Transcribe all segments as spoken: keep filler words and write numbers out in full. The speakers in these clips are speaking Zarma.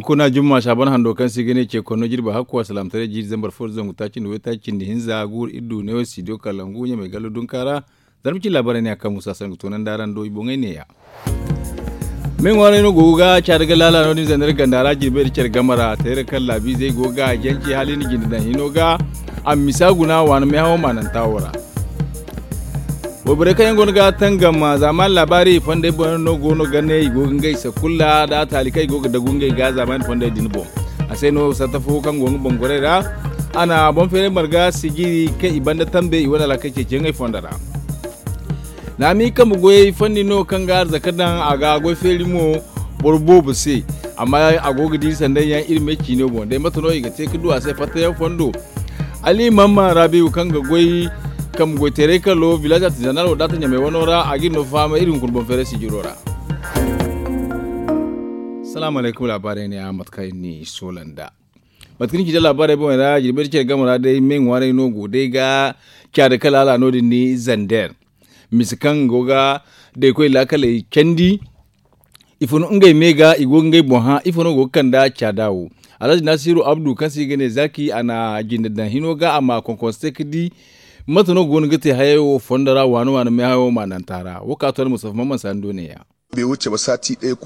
Kuna jumma saaban hando kaŋ se i ga ne ce konno jirbi hakku a salaamtaray jiiri zambar fo nda zangu taaci nda waytaaci cindi hinza guuru iri du neewo studio kalangu ɲamay gallo dunka ra. Zarma cine laabaarey ne a kaŋ musa sangu toonandi araŋ do i boŋey neeya. Me ŋwaaray no go ga caada ga laala no- din zandar ganda ra jirbey nda care game ra teera kaŋ laabiizey go ga a jance hala i na jinde daŋ hino ga a ma misa guna waani meehawo maananta wo ra. Wayborey kaŋ yaŋ go no ga tangam zaamaani laabaari fondey boŋ yaŋ no go no ga ne i go ga ngey sakulla nda taali kaŋ i go ga dagu ngey ga zaamaani fondey din boŋ. A se no satta fo kaŋ go nga boŋ gorey ra a na boŋ feeray marga sijiri kaŋ i banda tambe i wane alhakey ceeciyaŋey fondo ra. Naami kambe goyey fandi no kaŋ ga arzaka daŋ a ga goy feeri mo boro boobo se. Amma a go ga di sanday yaŋ iri me ciino boŋ day mate no i ga te ga du a se fattayaŋ fondo. Ali mamma rabiyu kaŋ ga goy kambe goy teeray kalo village artisanal wo daata ɲamay wano ra a ga iri no fahamay iri hunkuna boŋ feeray sijiro ra. Salaamu alaykum laabaarey ne a mate kaŋ iri n'i soola nd'a. Mate kaŋ ni ci da laabaarey boŋey ra jirbi da care game ra day me ŋwaaray no go day ga caada kala hala no- din ni zander. Mise kaŋ go ga daykoy laakaley candi. Ifo no ngey me ga i go ga ngey boŋ hã ifo no go ga kand'a caada wo. Alhazi nasiru abdu kaŋ se i ga ne zaaki a na jinde daŋ hino ga a ma konkonse ga di mate no go no ga te hayey wo fondo ra waani waani meehayo maananta ra wo ka to almustafa mamman sani do neeya.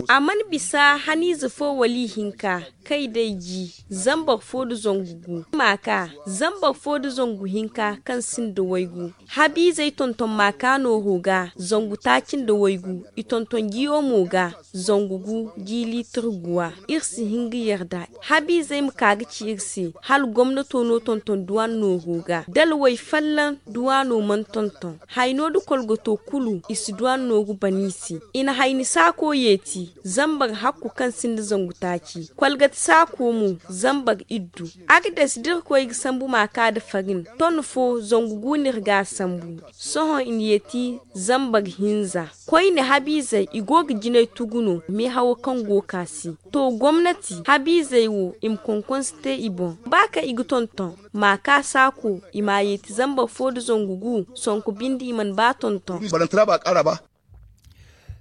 A mana bisa haniize fo wala ihinka kay day ji zambar fo nda zangu gu ma ka zambar fo nda zangu hinka kaŋ sinda waygu. Habiizey tonton ma ka nooro ga zangu taaci nda waygu i tonton jiyo mo ga zangu gu ji liitir guwa. Iri si hin ga yarda habiizey ma ka ga ci iri se hala gomnato no tonton duwan nooro ga da alway fallaŋ duwano mana tonton. Hayno nda kolgoto kulu i si duwan nooru ban i se. I na hayni saako yeeti zambar hakku kaŋ sinda zangu taaci kolgati saako mo zambar iddu. Agdes da iri koy ga sambu ma ka nda farin ton fo zangu gu no iri ga a sambu. Sohõ i na yeeti zambar hinza. Koyne habiizey i go ga jinay tugu no meehawo kaŋ go ga ka se. To gomnati habiizey wo i ma konkonse te i boŋ ba kaŋ i ga tonton ma ka saako i ma a yeeti zambar fo nda zangu gu sonko binde i mana ba tonton.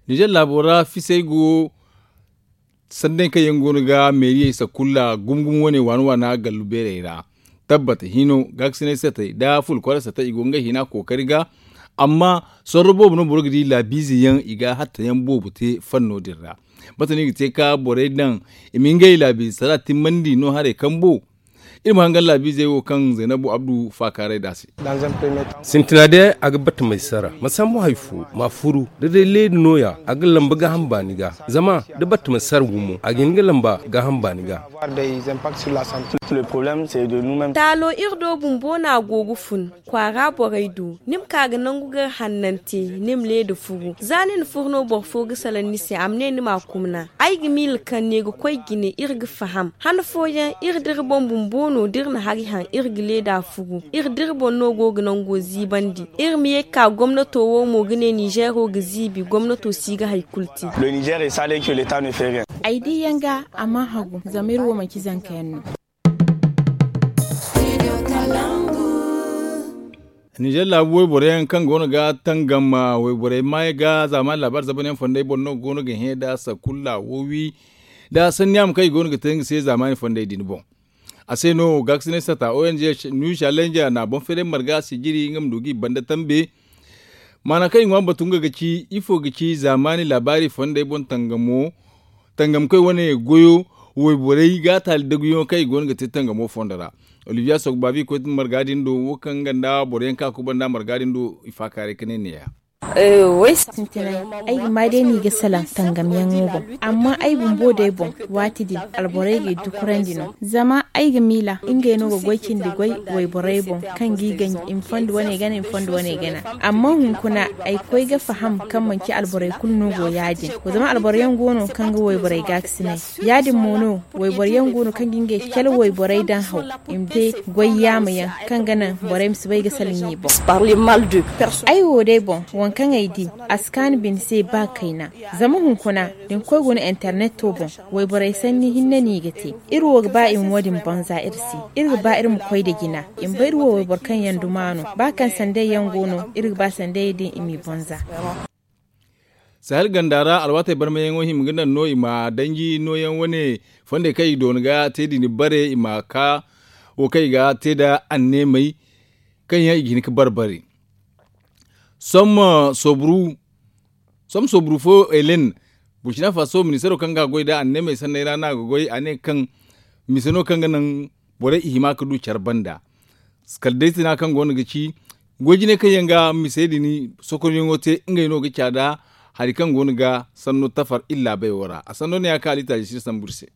Nizer laabo ra fisey go sanday kaŋ yaŋ go no ga meeriyey sakulla gumo gumo wane waana waana gallu beerey ra. Tabbata hino gaakasinay satey nda fulkwara satey i go ga ngey hina kookari ga. Amma sorro boobo no boro ga di laabiize yaŋ i ga hatta yaŋ boobo te fanno din ra. Mate no i ga te ka borey daŋ i ma ngey laabiize sara timmandi no haray kambo. Iri ma hangan laabiizey wo kaŋ zaynabu abdu faakaaray nd'a se. Sintina day a ga battamey sara ma sambu hari fo ma furu da day leedi nooya a ga lamba gaaham baani ga. Zama da battamey sara gumo a ga hin ga lamba gaaham baani ga. Taalo iri do bumbo no a go ga fun kwaara borey do ni ma ka ga nangu gar hannante ni ma leeda furu za ni na furu no boro fo ga salaŋ ni se a ma ne ni ma a kumna. Ay ga miila kaŋ ne ga koy jine iri ga faham han fooyaŋ iri da iri boŋ bumbo no da iri na hari haŋ iri ga leeda furu iri da iri boŋ no go ga nango ziibandi. Iri ma ye ga ka gomnato wo mo ga ne nizeero ga ziibi gomnato si ga hari kulu te. Ay di yaŋ ga a mana hagu zama iri wo manci zanka yaŋ no. Nizer laabu wayborey yaŋ kaŋ go no ga tangam wayborey maayey ga zaamaani laabaari zabanyaŋ fondey boŋ no go no ga hẽ nda sakulla wo wi nda sanni yaama kaŋ i go no ga te nga se zaamaani fondey din boŋ. A se no gaakasinay sata ong new challenge na boŋ feeray marga sijiri nga ma du ga i banda tambe. Maana kaŋ i ŋwa batu nga ga ci ifo ga ci zaamaani laabaari fondey boŋ tangamo tangamkoy wane goyo wayborey ga taali daguyaŋo kaŋ i go no ga te tangamo fondo ra. Olivier sogbavi koy marga din do wo kaŋ nga nda boro yaŋ kaŋ a kubanda marga din do i faakaaray ka ne neeya. Sintinay, ay ga maa day no i ga salaŋ tangamyaŋo boŋ. Amma ay bumbo day boŋ waati din alborey ga i dukurandi no. Zama ay ga miila ngey no ga goy cindi goy wayborey boŋ kaŋ g'i ganji i ma fondo wane gana i ma fondo wane gana. Amma hunkuna ay koy ga faham kaŋ manci alborey kulu no go ya- din. Zama alboro yaŋ go no kaŋ ga wayborey gaakasinay. Ya- din mo no wayboro yaŋ go no kaŋ ga ngey cale wayborey daŋ haw i ma te goy yaama yaŋ kaŋ ga naŋ borey ma si bay ga salaŋ i boŋ. Ay wo day boŋ waŋ kaŋ ay di a si kaanu bine se ba kayna. Zama hunkuna da ni koy guna interneto boŋ wayborey sanni hinne no i ga te. Iri wo ga ba i ma wo- din banza iri se. Iri ga ba iri ma koy nda jina i ma bay iri wo wayboro kaŋ yaŋ duma no ba kaŋ sandey yaŋ go no iri ga ba sandey din i m'i banza. Sahel ganda ra alwaatey barmayaŋo hima ga naŋ no i ma danji nooyaŋ wane fondey kaŋ i doona ga te din bare i ma ka wo kaŋ i ga te nda anneemey kaŋ yaŋ i ga hin ga barbari. Somma soburu fo elen, burkina faso ministaro kaŋ ga goy nda anneemey sanney ra no a ga goy a ne kaŋ mise no kaŋ ga naŋ borey i hima ga du care banda. Kala day sina kaŋ go no ga ci goy jinay kaŋ yaŋ ga misey din sokoryaŋo te ngey no ga caada hari kaŋ go no ga sanno tafar iri laabey wo ra a sanno no ya kaŋ a liitaaji si sambu iri se.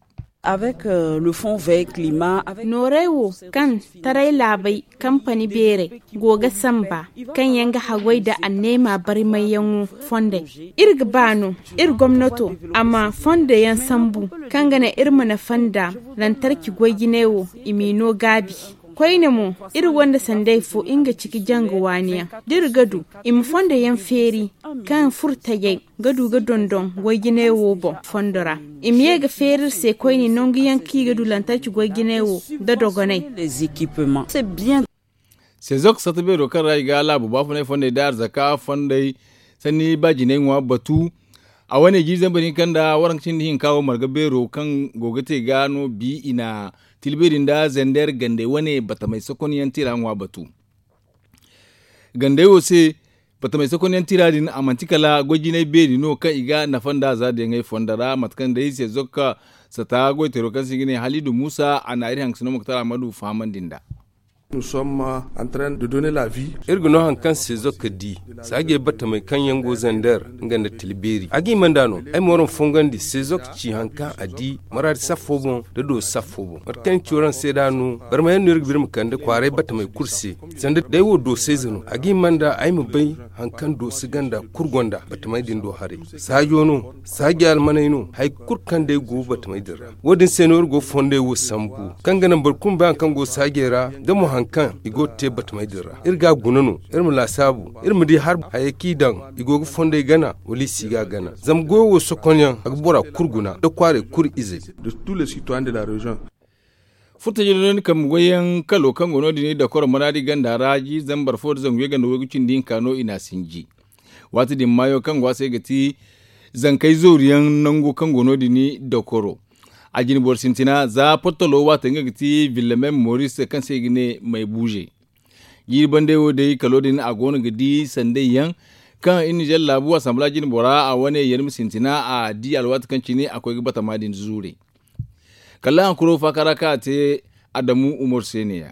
Nooray wo kaŋ taray laabey kampani beerey go ga samba kaŋ yaŋ ga haggoy nda anneema barmayyaŋo fondey, iri ga ba no iri gomnato a ma fondo yaŋ sambu kaŋ ga naŋ iri ma nafa nda lantarki goy jinay wo i m'i no gaabi. Koyne mo iri gonda sanday fo nga ci ga janga waani yaŋ da iri ga du i ma fondo yaŋ feeri kaŋ furo tajay ga du ga dondon goy jinay wo boŋ fondo ra. I ma ye ga feeri iri se koyne nangu yaŋ kaŋ i ga du lantarki goy jinay wo nda dogonay. Sezok satta beero kaŋ ra i ga laabu baafunay fondey nda arzaka fondey sanni ba jinay ŋwa batu. A wane jiiri zambar hinka nda waranka cindi hinka wo marga beero kaŋ go ga te ga no bi i na tilbeeri nda zender gandey wane batamey sokonyaŋ tira ŋwa batu. Gandey wo se batamey sokonyaŋ tira din a manti kala goy jinay beeri no kaŋ i ga nafa nda za daŋey fondo ra mate kaŋ day sezok satta goyteero kaŋ se i ga ne halidu muusa a na iri hangasino moktar ahmadu fahamandi nda. Iri ga no hari kaŋ sezok di saajey batamey kaŋ yaŋ go zander nga nda tilbeeri a ga hima nd'a no. Ay ma waraŋ fongandi sezok ci hari kaŋ a di maraadi saffo boŋ nda dooso saffo boŋ mate kaŋ ay na ci waraŋ se nd'a no. Barmayaŋ no iri ga ba iri ma kande kwaaray batamey kulu se sanda day wo doosayze no a ga hima nd'a ay ma bay hari kaŋ dooso ganda kulu gonda batamey din do haray. Saajo no saaji almaney no hari kulu kaŋ day go batamey din ra. Wo- din se no iri go fondey wo sambu kaŋ ga naŋ boro kulu ma bay hari kaŋ go saajey ra da mo hari kaŋ i go ga te batamey din ra iri ga a guna no. Iri ma laasaabu iri ma di hari hayey kaŋ i daŋ i go ga fondey gana wala i si ga a gana zama goyo wo sokonyaŋ a ga bora kulu guna nda kwaaray kulu izey. Furtaji no ni kambe goyyaŋ kalo kaŋ go no- din dakoro manaadi ganda ra jiiri zambar fo nda zangu yaganda waygu cindi hinka no i n'a sinji. Waati din maayo kaŋ go a se ga ti zankey zooruyaŋ nangu kaŋ go no- din dakoro. A jine boro sintina za portolo waati nga ga ti villamem moris kaŋ se i ga ne maybuuze. Jiiri bandey wo day kalo din a go no ga di sanday yaŋ kaŋ iri nizer laabu asambala jine bora a wane yarmi sintina a di alwaati kaŋ cine a koy ga batama din zuure. Kala hankuro faaka ra kaŋ a te adamu umaru se ne-ya.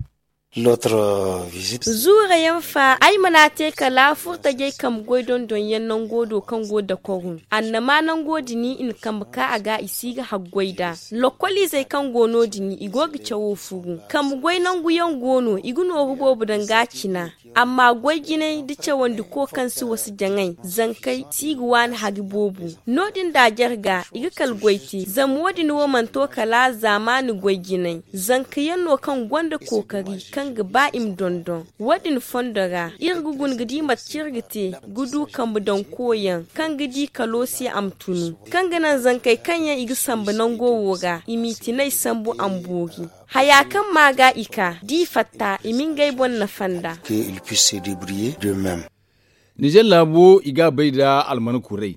Zuure yaŋ fa ay mana te kala furtajey kambe goy dondon yaŋ nango do kaŋ go dakoru annama nango din i na kambe ka a ga i si ga haggoy nd'a. Lokoliizey kaŋ go no- din i go ga cawo furu kambe goy nangu yaŋ go no i ga nooru boobo daŋ ga a cina. Amma goy jinay nda cawandi ko kaŋ si wasa jaŋay zankey si ga waani hari boobo. No- din da a jare ga i ga kala goy te zama wo- din wo mana to kala zaamaani goy jinay. Zanka yaŋ no kaŋ gonda kookari kaŋ ga ba i ma dondon wo- din fondo ra iri ga guna ga di mate kaŋ iri ga te ga du kambe daŋ koyaŋ kaŋ ga di kalo se a ma tunu kaŋ ga naŋ zankey kaŋ yaŋ i ga sambu nango wo ra i m'i tinay sambu a ma boori. Haya kaŋ ma ga i ka da i fatta i ma ngey boŋ nafa nda. Nizer laabo i ga a bay nda alman kuray.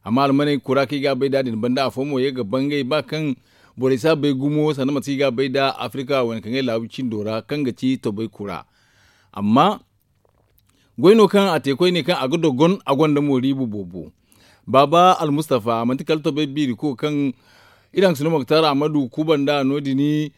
Amma almaney kura kaŋ i ga a bay nd'a din banda afo mo ye ga bangay ba kaŋ borey si a bay gumo sanda mate kaŋ i ga a bay nd'a afirika wane kaŋ ay laabu cindo ra kaŋ ga ti tobay kura. Amma goy no kaŋ a te koyne kaŋ a ga dogon a gonda mooriibu boobo. Baaba almustafa manti kala tobay biiriko kaŋ iri hangasino moktar ahmadu kuba nd'a no- din.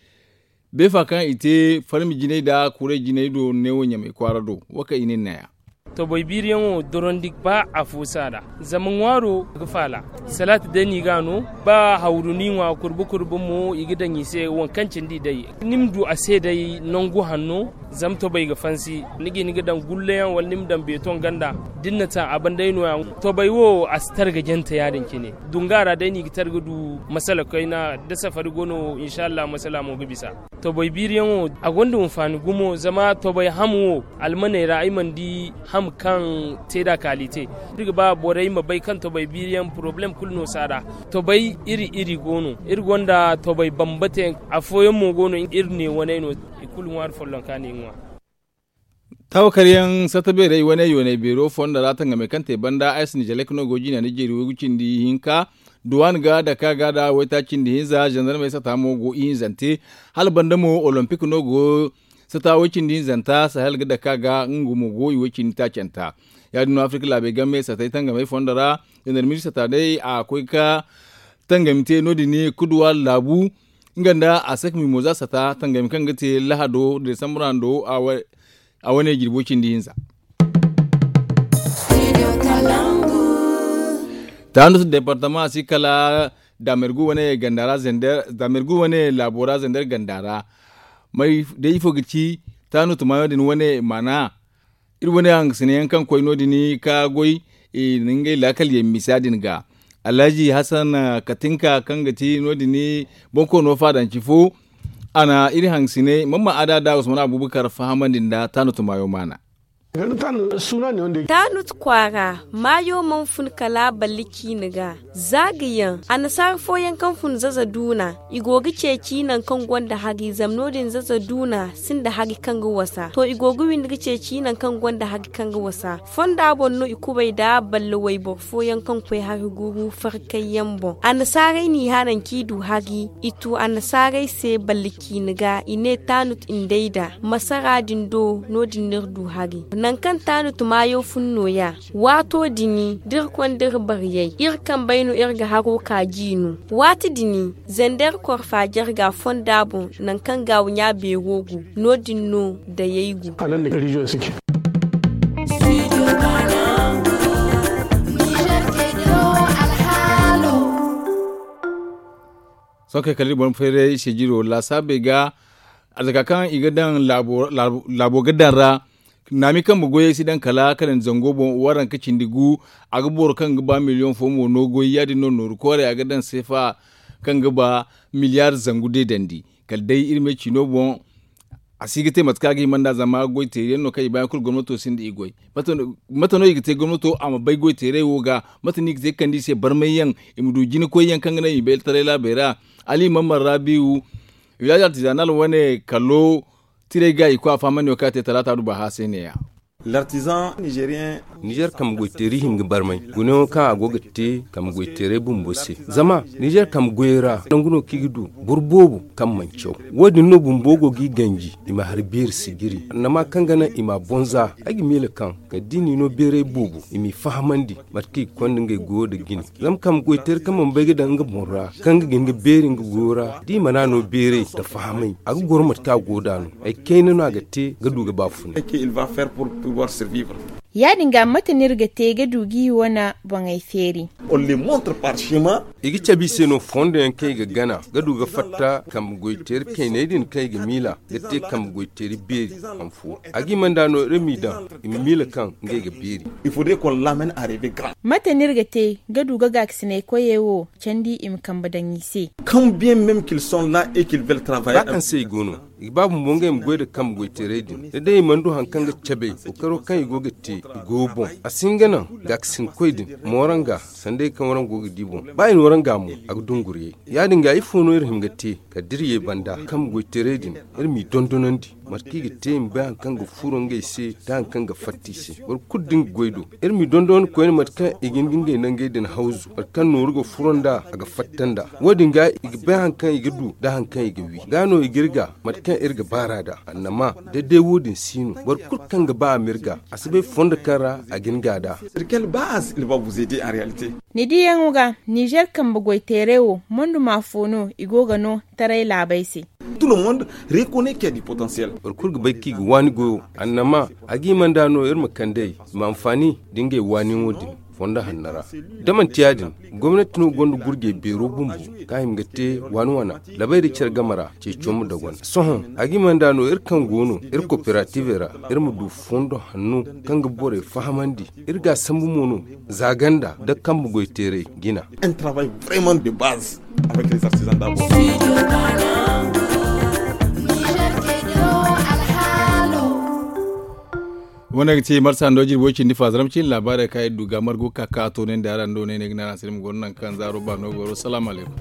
Beefa kaŋ i te farmi jinay nda kuray jinay do neewo ɲamay kwaara do wo kaŋ i ne ni naya. Tobay biiriyaŋo dorondi ba afo si a ra zama ŋwaaro ga faala. Salaati day no i ga a no ba hawru no i ŋwa kurba kurba mo i ga daŋ i se waŋ kaŋ cindi day ni ma du a se day nangu hanno. Zama tobay ga fansi ni ga hin ga daŋ gulleyaŋ wala ni ma daŋ beetoŋ ganda da ni na ta a banday no- ya. Tobay wo a si targa jante ya- din cine. Dunga ra day no i ga targa du masala kayna da safari go no insa allah masala mo ga bisa. Tobay biiriyaŋo a gonda hinfaani gumo zama tobay ham wo almaney ra ay mana di ham kaŋ te nd'a kaalite. Iri ga ba borey ma bay kaŋ tobay biiriyaŋ porobalem kulu no si a ra. Tobay iri iri go no iri gonda tobay bambate afooyaŋ mo go no iri ne waney no i kulu ŋwaari follonka no i ŋwa. Taawakaryaŋ sata beerey wane yoonay beero fondo ra tangamey kaŋ te banda ay si nijalek no go jina nda jeeri waygu cindi hinka. Duwaan ga dake a ga da waytaaci cindi hinza zandarmey sata mo go ihinzante. Hala banda mo olompik no go sata way cindi hinzanta sahel ga dake a ga nga mo go i way cindi taacanta. Ya- din no afirka laabey game satey tangamey fondo ra zandarmey sata day a koy ga tangami te no- din kuduwa laabu nga nda a sek mimoza sata tangami kaŋ ga te lahado desambur hando. A wane jirbo cindi hinza. Taanus departama a si kala damergu wane ganda ra zender damergu wane laabo ra zender ganda ra. May day ifo ga ci taanu tumayo din wane maana iri wane hangasina yaŋ kaŋ koy no- din ka goy i na ngey laakal yaŋ misa din ga. Alhaji hasan katinka kaŋ ga ti no- din bonkoono faadanci fo a na iri hangasinay mamma ada da usman abubakar fahamandi nda taanu tumayo maana. Taanut kwaara maayo mana fun kala balli ciine ga. Za ga yaŋ annasaara fooyaŋ kaŋ fun zaza duuna i go ga ceeci nangu kaŋ gonda hari zama no- din zaza duuna sinda hari kaŋ ga wasa to i go ga windi ga ceeci nangu kaŋ gonda hari kaŋ ga wasa. Fonda boŋ no i kubay nda balle wayboro fooyaŋ kaŋ koy hari guru farkayyaŋ boŋ annasaarey n'i hanan kaŋ i du hari i tu annasaarey se balle ciine ga i ne taanut indayda masara din do. No- din no iri du hari nangu kaŋ taanut maayo fun nooya. Waato din da iri konda iri baryey iri kambey no iri ga haro ka jiino waati din zender korfa jarga fonda boŋ nangu kaŋ gaawu ɲa beero go. No- din no dayey go. Sohõ kay kala iri boŋ fayray sijiro laasaabey ga. Arzaka kaŋ i ga daŋ laabo ga daŋ ra naami kambe goyey si daŋ kala kala nda zango boŋ waranka cindi gu. A ga boro kaŋ ga ba miliyoŋ fo mo no goy ya- din no nooru koorey a ga daŋ seefa kaŋ ga ba miliyaar zangu deedandi. Kala day iri me ciino boŋ a si ga te mate kaŋ a ga hima nd'a zama goy teeri yaŋ no kaŋ i baayaŋ kulu gomnato sinda i goy. Mate no i ga te gomnato a ma bay goy teeray wo ga? Mate no i ga te ga kande i se barmay yaŋ i ma du jina koy yaŋ kaŋ ga naŋ i ma bayra taray laabey ra? Ali mamman rabiwu village artisanal wane kalo tiray ga i koy a fahamandi wo kaŋ a te talaata du baha se ne- ya. L'artisan nigérien. Nizer kambe goy teeri hin ga barmay gunayaŋo kaŋ a go ga te kambe goy teeray bumbo se. Zama nizer kambe goyey ra nangu no kaŋ i ga du boro boobo kaŋ mana caw. Wo- din no bumbo go g'i ganji i ma hari beeri sijiri annama kaŋ ga naŋ i ma a boŋ za. Ay ga miila kaŋ kala da i n'i no beeray boobo i m'i fahamandi mate kaŋ i ga konda ngey goyo nda jine. Zama kambe goy teeri kaŋ mana bay ga daŋ nga boŋ ra kaŋ ga gin ga beeri nga goyo ra da i mana no beeray nda fahamay a ga goro mate kaŋ a go nd'a no. Ay kayna no a ga te ga du ga baafunay. Ya- din ga mate no iri ga te ga du g'i wane boŋey feeri? I ga cabe i se no fondo yaŋ kaŋ i ga gana ga du ga fatta kambe goy teeri kayney din kaŋ i ga miila ga te kambe goy teeri beeri. A ga hima nd'a no iri m'i daŋ i ma miila kaŋ ngey ga beeri. Mate no iri ga te ga du ga gaakasinay koyey wo candi i ma kambe daŋ i se? Ba kaŋ se i go no i ga ba bumbo ngey ma goy nda kambe goy teeray din da day i mana du hari kaŋ ga cabe kookaro kaŋ i go ga te i goyo boŋ. A si hin ga naŋ gaakasinkoy din mooranga sanda i kaŋ waraŋ go ga di boŋ. Ba i na waraŋ ga mo a ga dunguriyay. Ya- din ga ifo no iri hima ga te kala da iri ye banda kambe goy teeray din iri m'i dondonandi mate kaŋ i ga te i ma bay hari kaŋ ga furo ngey se nda hari kaŋ ga fatta i se. Boro kulu da nga goy do iri m'i dondonandi koyne mate kaŋ i ga hin ga ngey nangey din hawzu mate kaŋ nooru ga furo nd'a a ga fatta nd'a. Wo- din ga i ga bay hari kaŋ i ga du nda hari kaŋ i ga wi ga no i ga iri ga mate kaŋ iri ga baar'a nd'a. Annama da day wo- din si no boro kulu kaŋ ga ba a ma iri ga a si bay fondo kaŋ ra a ga hin ga nd'a. Ni diyaŋo ga nizer kambe goy teeray wo monduma fo no i go ga no taray laabey se? Boro kulu ga bay kaŋ i ga waani goyo annama a ga hima nd'a no iri ma kand'ey i ma anfaani nda ngey waaniyaŋo din fondo hanno ra. Da manti ya- din gomnati no gonda gurjey beero bumbo kaŋ a hima ga te waani wana labay nda care game ra ceeco ma dagwanda sohõ a ga hima nd'a no iri kaŋ go no iri kooperativey ra iri ma du fondo hanno kaŋ ga borey fahamandi. Iri ga a sambu mo no za ganda nda kambe goy teeray jina. Wane ga ti marsa ndo jirbo cindi fa zaram cindi laabaarey kaŋ iri du ga margu ka ka a toonandi araŋ do ne ne ga ne araŋ se ni ma goro nangu kaŋ zaaro ba no goro salaamu alaykum.